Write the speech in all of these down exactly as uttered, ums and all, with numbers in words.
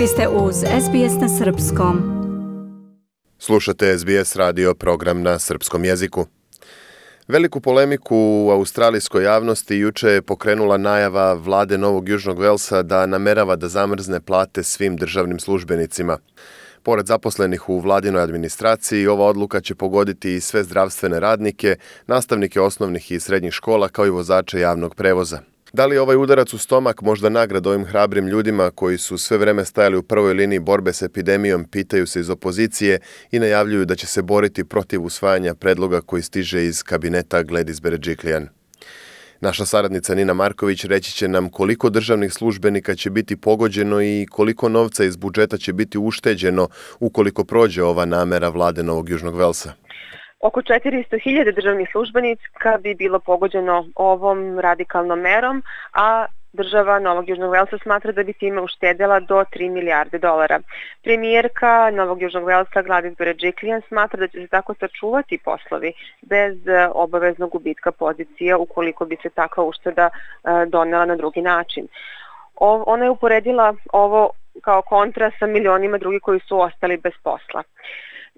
Vi ste uz S B S na srpskom. Slušate S B S radio program na srpskom jeziku. Veliku polemiku u australijskoj javnosti juče je pokrenula najava vlade Novog Južnog Velsa da namerava da zamrzne plate svim državnim službenicima. Pored zaposlenih u vladinoj administraciji, ova odluka će pogoditi i sve zdravstvene radnike, nastavnike osnovnih i srednjih škola kao i vozače javnog prevoza. Da li je ovaj udarac u stomak možda nagrada ovim hrabrim ljudima koji su sve vreme stajali u prvoj liniji borbe s epidemijom, pitaju se iz opozicije i najavljuju da će se boriti protiv usvajanja predloga koji stiže iz kabineta Gladys Berejiklian. Naša saradnica Nina Marković reći će nam koliko državnih službenika će biti pogođeno i koliko novca iz budžeta će biti ušteđeno ukoliko prođe ova namera vlade Novog Južnog Velsa. Oko četiristo hiljada državnih službenika bi bilo pogođeno ovom radikalnom merom, a država Novog Južnog Velsa smatra da bi time uštedela do tri milijarde dolara. Premijerka Novog Južnog Velsa Gladys Berejiklian smatra da će se tako sačuvati poslovi bez obaveznog gubitka pozicija ukoliko bi se takva ušteda donela na drugi način. Ona je uporedila ovo kao kontra sa milionima drugih koji su ostali bez posla.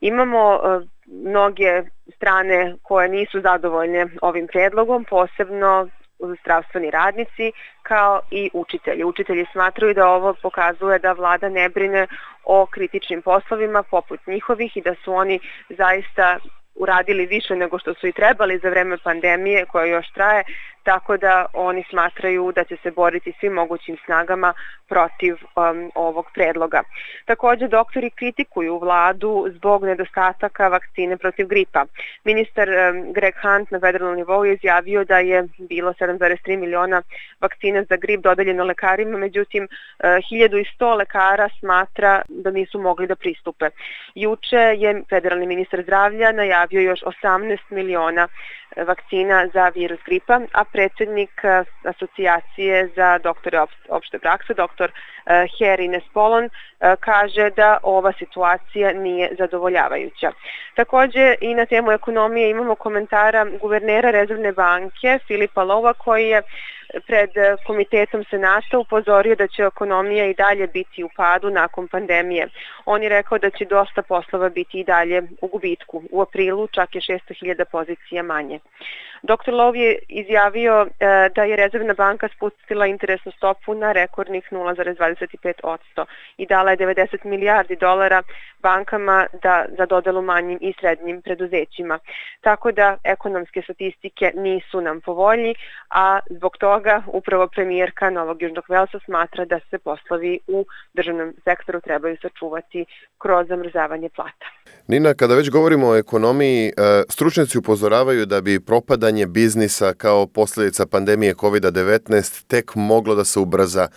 Imamo uh, mnoge strane koje nisu zadovoljne ovim predlogom, posebno zdravstveni radnici kao i učitelji. Učitelji smatraju da ovo pokazuje da vlada ne brine o kritičnim poslovima poput njihovih i da su oni zaista uradili više nego što su i trebali za vreme pandemije koja još traje, tako da oni smatraju da će se boriti svim mogućim snagama protiv um, ovog predloga. Također doktori kritikuju vladu zbog nedostataka vakcine protiv gripa. Ministar um, Greg Hunt na federalnom nivou je izjavio da je bilo sedam zarez tri miliona vakcina za grip dodeljeno lekarima, međutim uh, hiljadu sto lekara smatra da nisu mogli da pristupe. Juče je federalni ministar zdravlja najavio još osamnaest miliona vakcina za virus gripa, a predsjednik asocijacije za doktore opšte prakse, doktor Harry Nespolon, kaže da ova situacija nije zadovoljavajuća. Također i na temu ekonomije imamo komentara guvernera Rezervne banke Filipa Lowa koji je pred komitetom Senata upozorio da će ekonomija i dalje biti u padu nakon pandemije. On je rekao da će dosta poslova biti i dalje u gubitku. U aprilu čak je šesto hiljada pozicija manje. doktor Low je izjavio e, da je Rezervna banka spustila interesnu stopu na rekordnih nula zarez dvadeset pet posto i dala je devedeset milijardi dolara bankama da, za dodelu manjim i srednjim preduzećima. Tako da ekonomske statistike nisu nam po volji, a zbog toga upravo premijerka Novog Južnog Velsa smatra da se poslovi u državnom sektoru trebaju sačuvati kroz zamrzavanje plata. Nina, kada već govorimo o ekonomiji, stručnjaci upozoravaju da bi propadanje biznisa kao posljedica pandemije kovid devetnaest tek moglo da se ubrza.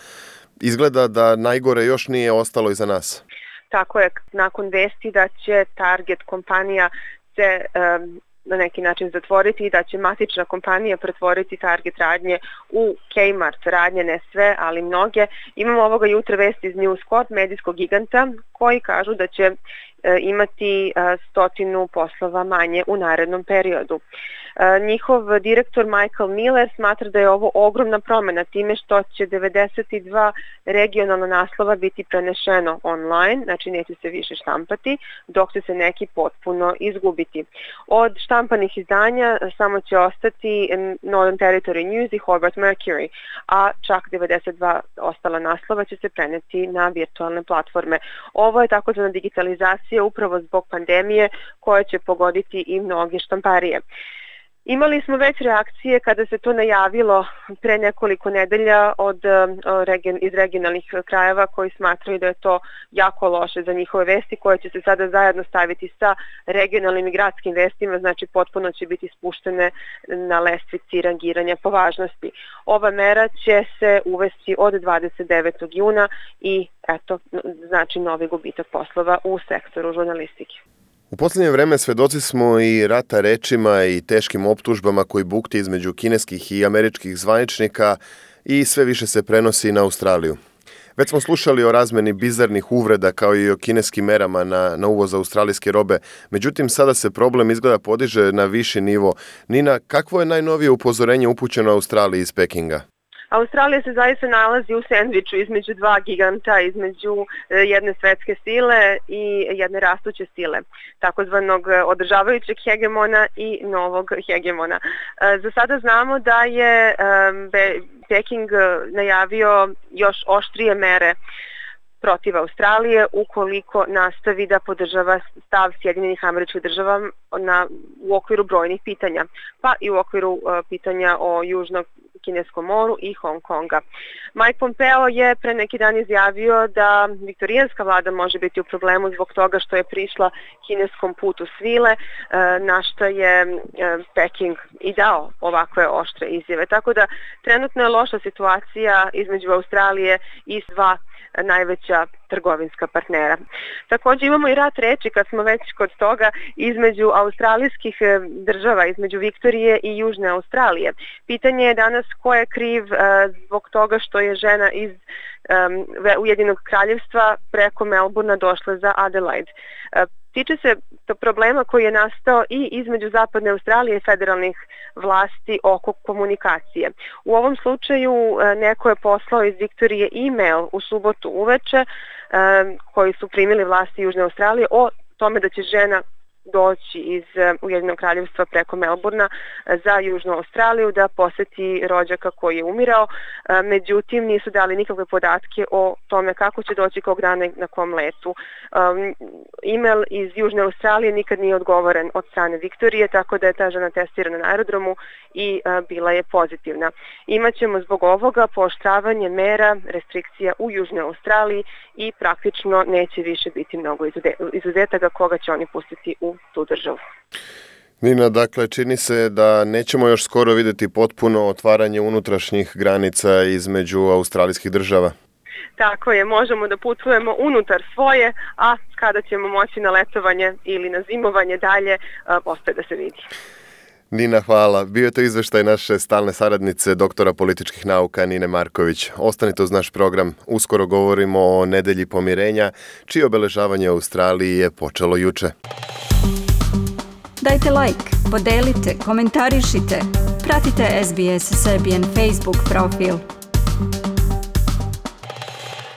Izgleda da najgore još nije ostalo iza nas. Tako je, nakon vesti da će Target kompanija se um, na neki način zatvoriti i da će matična kompanija pretvoriti Target radnje u Kmart radnje, ne sve, ali mnoge. Imamo ovoga jutra vesti iz News Corp, medijskog giganta, koji kažu da će e, imati e, stotinu poslova manje u narednom periodu. E, njihov direktor Michael Miller smatra da je ovo ogromna promjena time što će devedeset dva regionalna naslova biti prenešeno online, znači neće se više štampati, dok će se neki potpuno izgubiti. Od štampanih izdanja samo će ostati Northern Territory News i Hobart Mercury, a čak devedeset dva ostala naslova će se preneti na virtualne platforme. Ovo je takozvana digitalizacija upravo zbog pandemije koja će pogoditi i mnoge štamparije. Imali smo već reakcije kada se to najavilo pre nekoliko nedelja od, iz regionalnih krajeva koji smatraju da je to jako loše za njihove vesti koje će se sada zajedno staviti sa regionalnim i gradskim vestima, znači potpuno će biti spuštene na lestvici rangiranja po važnosti. Ova mera će se uvesti od dvadeset devetog juna i eto, znači novi gubitak poslova u sektoru žurnalistike. U posljednje vreme svedoci smo i rata rečima i teškim optužbama koji bukti između kineskih i američkih zvaničnika i sve više se prenosi na Australiju. Već smo slušali o razmeni bizarnih uvreda kao i o kineskim merama na, na uvoz australijske robe, međutim sada se problem izgleda podiže na viši nivo. Nina, kakvo je najnovije upozorenje upućeno Australiji iz Pekinga? Australija se zaista nalazi u sendviču između dva giganta, između jedne svetske sile i jedne rastuće sile, takozvanog održavajućeg hegemona i novog hegemona. Za sada znamo da je Peking najavio još oštrije mere protiv Australije ukoliko nastavi da podržava stav Sjedinjenih Američkih Država na, u okviru brojnih pitanja, pa i u okviru uh, pitanja o Južnom Kineskom moru i Hong Konga. Mike Pompeo je pre neki dan izjavio da viktorijanska vlada može biti u problemu zbog toga što je prišla kineskom putu svile, uh, na što je uh, Peking i dao ovakve oštre izjave. Tako da trenutno je loša situacija između Australije i dva najveća trgovinska partnera. Također imamo i rat reči, kad smo već kod toga, između australijskih država, između Viktorije i Južne Australije. Pitanje je danas ko je kriv uh, zbog toga što je žena iz um, Ujedinjenog kraljevstva preko Melbourna došla za Adelaide. Uh, Tiče se to problema koji je nastao i između Zapadne Australije i federalnih vlasti oko komunikacije. U ovom slučaju neko je poslao iz Viktorije e-mail u subotu uveče koji su primili vlasti Južne Australije o tome da će žena doći iz Ujedinjenog kraljevstva preko Melbourna za Južnu Australiju da poseti rođaka koji je umirao. Međutim, nisu dali nikakve podatke o tome kako će doći, kog dana, na kom letu. E-mail iz Južne Australije nikad nije odgovoren od strane Viktorije, tako da je ta žena testirana na aerodromu i bila je pozitivna. Imaćemo zbog ovoga pooštravanje mera, restrikcija u Južnoj Australiji i praktično neće više biti mnogo izuzetaka koga će oni pustiti u tu državu. Nina, dakle, čini se da nećemo još skoro vidjeti potpuno otvaranje unutrašnjih granica između australijskih država. Tako je, možemo da putujemo unutar svoje, a kada ćemo moći na letovanje ili na zimovanje dalje, ostaje da se vidi. Nina, hvala. Bio je to izveštaj naše stalne saradnice, doktora političkih nauka Nine Marković. Ostanite uz naš program. Uskoro govorimo o nedelji pomirenja, čije obeležavanje u Australiji je počelo juče. Dajte like, podelite, komentarišite. Pratite S B S Serbian Facebook profil.